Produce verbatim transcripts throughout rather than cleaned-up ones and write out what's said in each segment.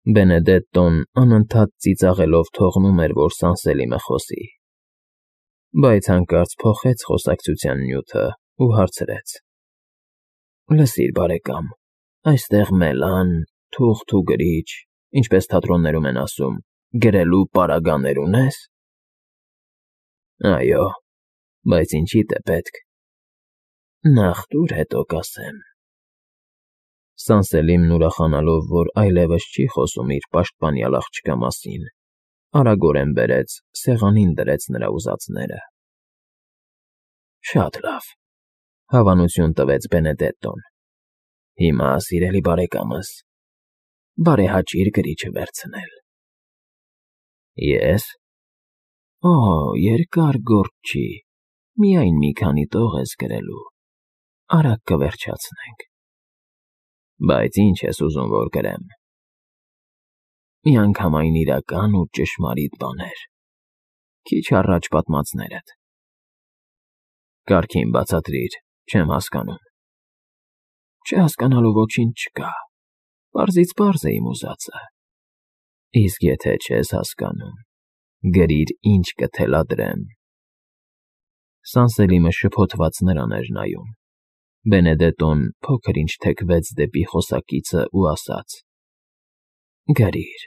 Բենեդետտոն անընդհատ ծիծաղելով թողնում էր, որ Սանսելիմը խոսի, բայց հանկարծ փոխեց խոսակցության նյութն ու հարցրեց. ֊ Լսիր, բարեկամ, այստեղ մելան, թուղթ ու գրիչ, ինչպես թատրոններում են ասում, գրելու պարագաներ ունե՞ս։ ֊ Այո, բայց ինչի՞դ է պետք։ ֊ Նախ տուր, հետո կասեմ։ Սանսելիմն ուրախանալով, որ այլևս չի խոսում իր պաշտպանյալ աղջկա մասին, արագորեն բերեց, սեղանին դրեց նրա ուզածները։ ֊ Շատ լավ,֊ հավանություն տվեց Բենեդետտոն։ ֊ Հիմա, սիրելի բարեկամս, բարեհաճիր գրիչը վերցնել։ ֊ Ե՞ս։ ֊ Օ, երկար գործ չի, միայն մի քանի տող ես գրելու, արագ կվերջացնենք։ ֊ Բայց ի՞նչ ես ուզում, որ գրեմ։ ֊ Միանգամայն իրական ու ճշմարիտ բաներ, քիչ առաջ պատմածներդ։ ֊ Կարգին բացատրիր, չեմ հասկանում։ ֊ Չհասկանալու ոչինչ չկա, պարզից պարզ է իմ ուզածը։ ֊ Իսկ եթե չես հասկանում, գրիր, ինչ կթելադրեմ։ Սանսելիմը շփոթված նրան էր նայում։ Բենեդետտոն փոքր֊ինչ թեքվեց դեպի խոսակիցն ու ասաց. ֊ Գրիր.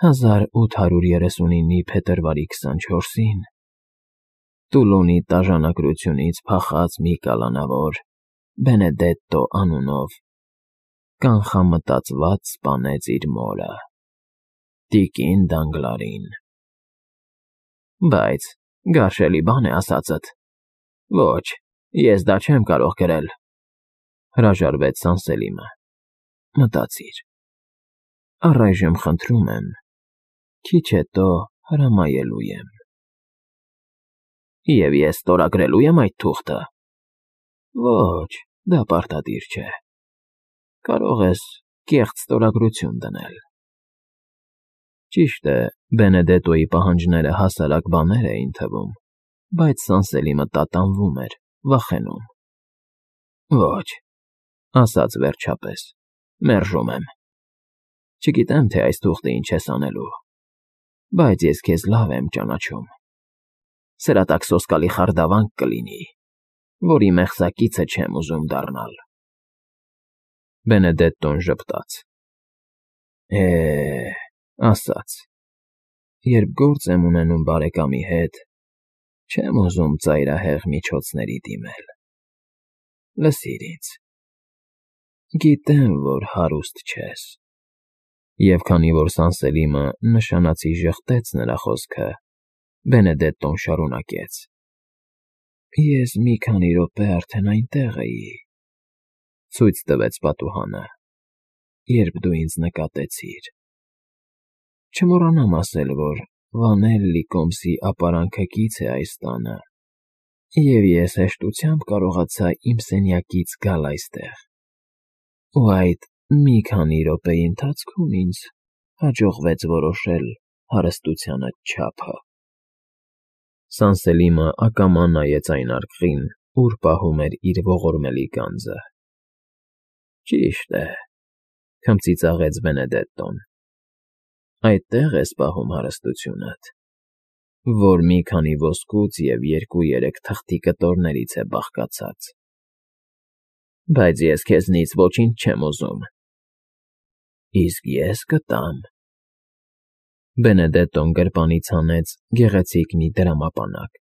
հազար ութ հարյուր երեսունինի փետրվարի քսանչորսին Տուլոնի տաժանակությունից փախած մի կալանավոր, Բենեդետտո անունով, կանխամտածված սպանեց իր մորը, տիկին Դանգլարին։ ֊ Բայց գարշելի բան է ասածդ։ ֊ Ոչ, ես դա չեմ կարող գրել,֊ հրաժարվեց Սանսելիմը։ ֊ Մտածիր. առայժմ խնդրում եմ, քիչ հետո հրամայելու եմ։ ֊ Եվ ես ստորագրելո՞ւ եմ այդ թուղթը։ ֊ Ոչ, դա պարտադիր չէ, կարող ես կեղծ ստորագրություն դնել։ Ճիշտ է, Բենեդետտոյի պահանջները հասարակ բաներ էին թվում, բայց Սանսելիմը տատանվում էր, վախենում։ ֊ Ոչ,֊ ասաց վերջապես,֊ մերժում եմ։ Չգիտեմ, թե այս թուղթը ինչ ես անելու, բայց ես քեզ լավ եմ ճանաչում. սրա տակ սոսկալի խարդավանք կլինի, որի մեղսակիցը չեմ ուզում դառնալ։ Բենեդետտոն ժպտաց։ ֊ Է,֊ ասաց,֊ երբ գործ եմ ունենում բարեկամի հետ, չեմ ուզում ծայրահեղ միջոցների դիմել։ Լսիր ինձ. գիտեմ, որ հարուստ չես։ Եվ քանի որ Սանսելիմը նշանացի ժխտեց նրա խոսքը, Բենեդետտոն շարունակեց. ես մի քանի րոպե արդեն այնտեղ էի, ցույց տվեց պատուհանը, երբ դու ինձ նկատեցիր։ Չմոռանամ ասել, որ Վանելլի կոմսի ապարանքը կից է այս տանը, և ես հեշտությամբ կարողացա իմ սենյակից գալ այստեղ, ու այդ մի քանի րոպեի ընթացքում ինձ հաջողվեց որոշել հարստությանդ չափը։ Սանսելիմը ակամա նայեց այն արկղին, ուր պահում էր իր ողորմելի գանձը։ ֊ Ճիշտ է,֊ քմծիծաղեց Բենեդետտոն,֊ այդտեղ ես պահում հարստությունդ, որ մի քանի ոսկուց և երկու֊երեք թղթի կտորներից է բաղկացած։ Բայց ես քեզնից ոչինչ չեմ ուզում։ ֊ Իսկ ես կտամ։ Բենեդետտոն գրպանից հանեց գեղեցիկ մի դրամապանակ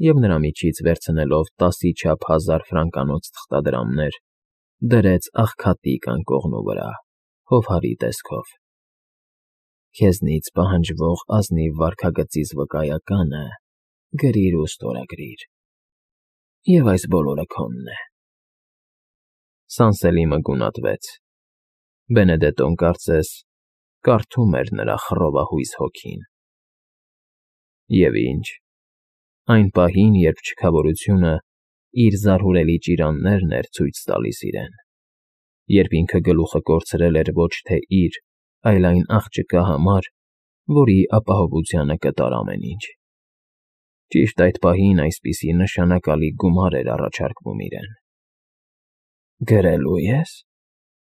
և նրա միջից վերցնելով տասի չափ հազար ֆրանկանոց թղթադրամներ, դրեց աղքատիկ անկողնու վրա, հովհարի տեսքով։ Քեզնից պահանջվող ազնիվ վարքագծից վկայականը գրիր ու ստորագրիր, և այս բոլորը քոնն է։ Սանսելիմը գունատվեց։ Բենեդետտոն կարծես կարդում էր նրա խռովահույս հոգին։ Եվ ինչ, այն պահին, երբ չքավորությունը իր զարհուրելի ճիրաններն էր ցույց տալիս իրեն, երբ ինքը գլուխը կորցրել էր ոչ թե իր, այլ այն աղջկա համար, որի ապահովությանը կտար ամեն ինչ, ճիշտ այդ պահին այսպիսի նշանակալի գումար էր առաջարկվում իրեն։ ֊ Գրելո՞ւ ես,֊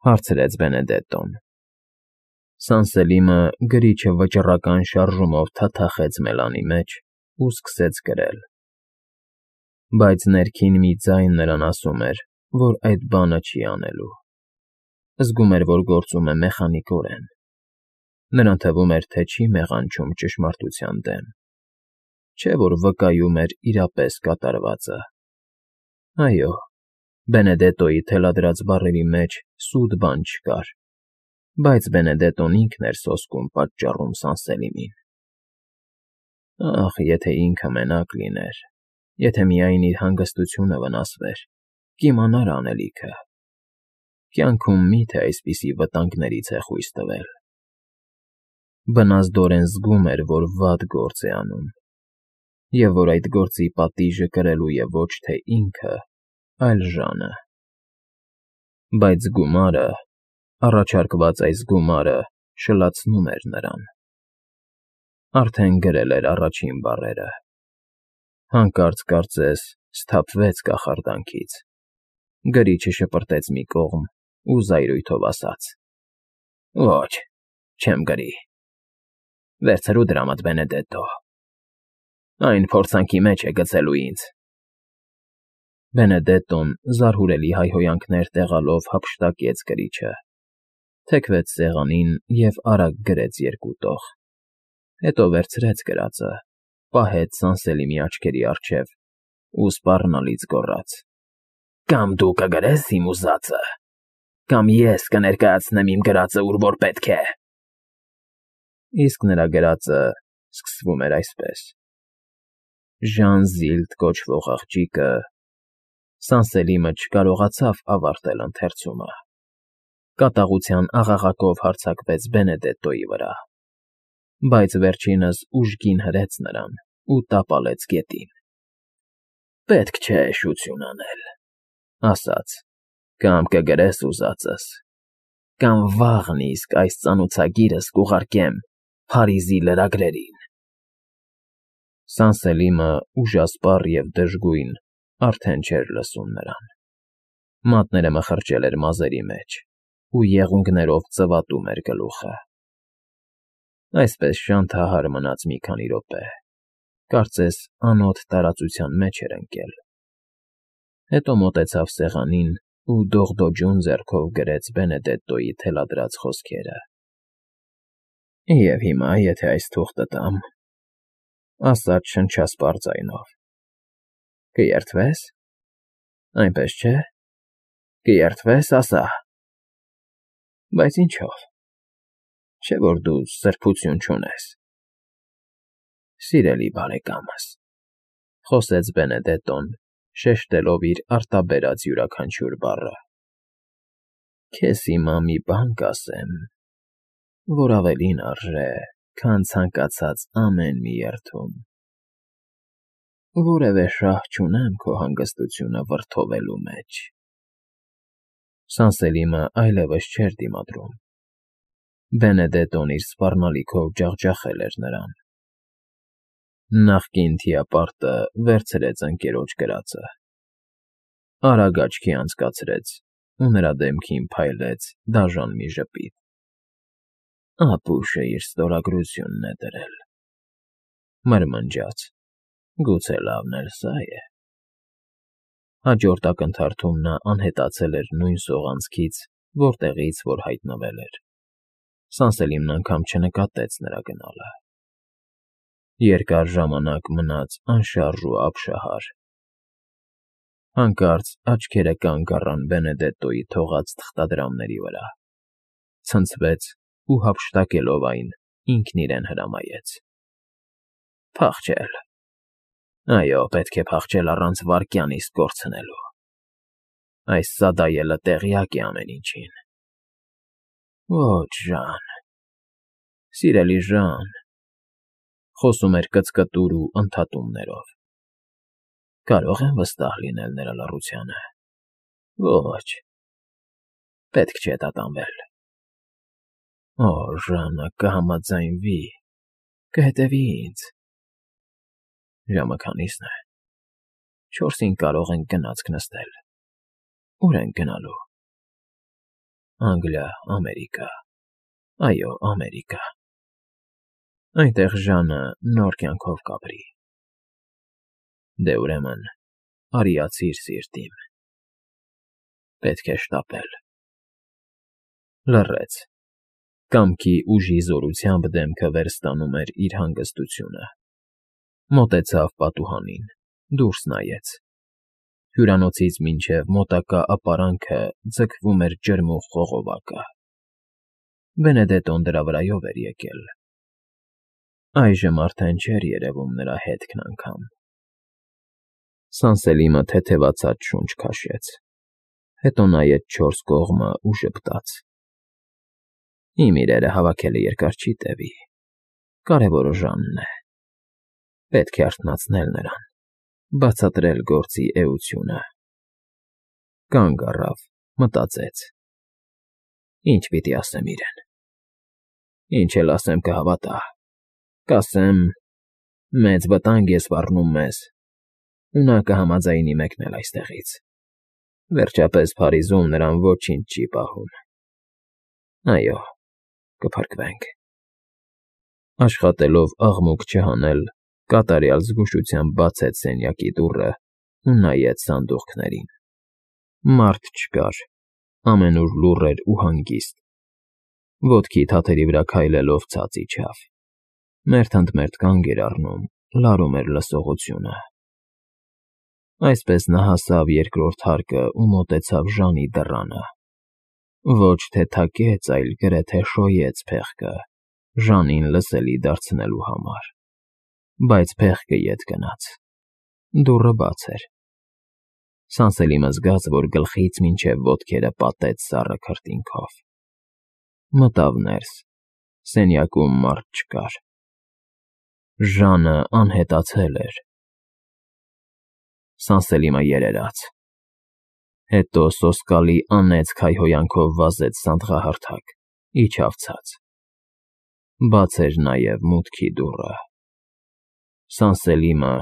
հարցրեց Բենեդետտոն։ Սանսելիմը գրիչը վճռական շարժումով թաթախեց մելանի մեջ ու սկսեց գրել։ Բայց ներքին մի ձայն նրան ասում էր, որ այդ բանը չի անելու։ Զգում էր, որ գործում է մեխանիկորեն։ Նրան թվում էր, թե չի մեղանչում ճշմարտության դեմ, չէ՞ որ վկայում էր իրապես կատարվածը։ Այո, Բենեդետոյի թելադրած բառերի մեջ սուտ բան չկար, բայց Բենեդետոն ինքն էր սոսկում պատճառում Սանսելիմին։ Ախ, եթե ինքը մենակ լիներ, եթե միայն իր հանգստությունը վնասվեր, կիմանար անելիքը։ Կյանքում մի՞թե այսպիսի վտանգներից է խույս տվել։ Բնազդորեն զգում էր, որ վատ գործ է անում, և որ այդ գործի պատիժը կրելու է ոչ թե ինքը, այլ ժանը։ Բայց գումարը, առաջարկված այս գումարը շլացնում էր նրան։ Արդեն գրել էր առաջին բառերը։ Հանկարծ, կարծես, սթափվեց կախարդանքից, գրիչը շպրտեց մի կողմ ու զայրույթով ասաց. «Ոչ, չեմ գրի։ Վերցրու դրամդ, Բենեդետո, այն փորձանքի մեջ է գցելու ինձ»։ Բենեդետոն զարհուրելի հայհոյանքներ տեղալով հափշտակեց գրիչը, թեքվեց սեղանին և արագ գրեց երկու տող, հետո վերցրեց գրածը, պահեց Սանսելիմի աչքերի առջև ու սպառնալից գոռաց. «Կամ դու կգրես իմ ուզածը, կամ ես կներկայացնեմ իմ գրածը ուր որ պետք է»։ Իսկ նրա գրածը սկսվում էր այսպես. «Ժան Զիլդ կոչվող աղջիկը…» Սանսելիմը չկարողացավ ավարտել ընթերցումը։ Կատաղության աղաղակով հարձակվեց Բենեդետոյի վրա, բայց վերջինս ուժգին հրեց նրան ու տապալեց գետին։ «Պետք չէ շություն անել,֊ ասաց,֊ կամ կգրես ուզածս, կամ վաղն իսկ այս ծանոցագիրս կուղարկեմ Փարիզի լրագրերին»։ Սանսելիմը, ուժասպառ և դժգույն, արդեն չէր լսում նրան։ Մատները մխրճել էր մազերի մեջ ու եղունգներով ծվատում էր գլուխը։ Այսպես շանթահար մնաց մի քանի րոպե, կարծես անոտ տարածության մեջ էր ընկել։ Հետո մոտեցավ սեղանին ու դողդոջուն ձեռքով գրեց Բենեդետոյի թելադրած խոսքերը։ «Եվ հիմա, եթե այս թուղթը տամ,֊ ասաց շնչասպառ ձայնով,֊ կերթվե՞ս, այնպես չէ՞, կերթվե՞ս, ասա»։ «Բայց ինչո՞վ, չէ՞ որ դու սրբություն չունես»։ «Սիրելի բարեկամս,֊ խոսեց Բենեդետոն, շեշտելով իր արտաբերած յուրաքանչյուր բառը,֊ քեզ հիմա մի բան կասեմ, որ ավելին արժե, քան ցանկացած ամեն մի երդում։ Որևէ շահ չունեմ քո հանգստությունը վրդովելու մեջ»։ Սանսելիմը այլևս չէր դիմադրում։ Բենեդետոն իր սպառնալիքով ջախջախել էր նրան։ Նախկին թիապարտը վերցրեց ընկերոջ գրածը, արագ աչքի անցկացրեց ու նրա դեմքին փայլեց դաժան մի ժպիտ։ «Ապուշը իր ստորագրությունն է դրել,֊ մրմնջաց,֊ գուցե լավն էլ սա է»։ Հաջորդ ակնթարթում նա անհետացել էր նույն սողանցքից, որտեղից որ հայտնվել էր։ Սանսելիմն անգամ չնկատեց նրա գնալը։ Երկար ժամանակ մնաց անշարժ ու ապշահար։ Հանկարծ աչքերը կանգ առան Բենեդետոյի թողած թղթադրամների վրա, ցնցվեց ու հափշտակելով այն, ինքն իրեն հրամայեց. «Փախչել… Այո, պետք է փախչել առանց վայրկյան իսկ կորցնելու։ Այս սադայելը տեղյակ է ամեն ինչին։ Ոչ, Ժան… Սիրելի Ժան…֊ խոսում էր կծկտուր ու ընդհատումներով,֊ կարո՞ղ եմ վստահ լինել նրա լռությանը։ Ոչ… Պետք չէ տատանվել։ Օ, Ժանը կհամաձայնվի, կհետևի ինձ… Ժամը քանի՞սն է։ Չորսին կարող ենք գնացք նստել։ Ո՞ւր ենք գնալու։ Անգլիա, Ամերիկա։ Այո, Ամերիկա։ Այնտեղ Ժանը նոր կյանքով կապրի։ Դե ուրեմն, արիացիր սիրտ իմ, պետք է շտապել։ Լռեց, կամքի ուժի զորությամբ դեմքը վերստանում էր իր հանգստությունը, մոտեցավ պատուհանին, դուրս նայեց. հյուրանոցից մինչև մոտակա ապարանքը ձգվում էր ջրմուղ խողովակը, Բենեդետոն դրա վրայով էր եկել, այժմ արդեն չէր երևում նրա հետքն անգամ։ Սանսելիմը թեթևացած շունչ քաշեց, հետո նայեց չորս կողմը ու ժպտաց. Իմ իրերը հավաքելը երկար չի տևի, կարևորը Ժանն է, պետք է արթնացնել նրան, բացատրել գործի էությունը։ Կանգ առավ, մտածեց. Ինչ պիտի ասեմ իրեն։ Ինչ էլ ասեմ կհավատա, կասեմ. մեծ վտանգ է սպառնում մեզ, ու նա կհամաձայնի մեկնել այստեղից, վերջապես Փարիզում նրան ոչինչ չի պահում։ Այո, կփրկվենք։ Աշխատելով աղմուկ չհանել, կատարյալ զգուշությամբ բացեց սենյակի դուռը ու նայեց սանդուղքներին։ Մարդ չկար, ամենուր լուռ էր ու հանգիստ, ոտքի թաթերի վրա քայլելով ցած իջավ, մերթ ընդ մերթ կանգ էր առնում, լարում էր լսողությունը։ Այսպես նա հասավ երկրորդ հարկը ու մոտեցավ Ժանի դռանը, ոչ թե թակեց, այլ գրեթե շոյեց փեղկը, Ժանին լսելի դարձնելու համար, բայց փեղկը ետ գնաց, դուռը բաց էր։ Սանսելիմը զգաց, որ գլխից մինչև ոտքերը պատեց սառը քրտինքով։ Մտավ ներս, սենյակում մարդ չկար։ Ժանը անհետացել էր։ Սանսելիմը երերաց, հետո սոսկալի անեծք հայհոյանքով վազեց սանդղահարթակ, իջավ ցած։ Բաց էր նաև մուտքի դուռը։ Սանսելիմը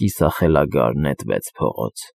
կիսախելագար նետվեց փողոց։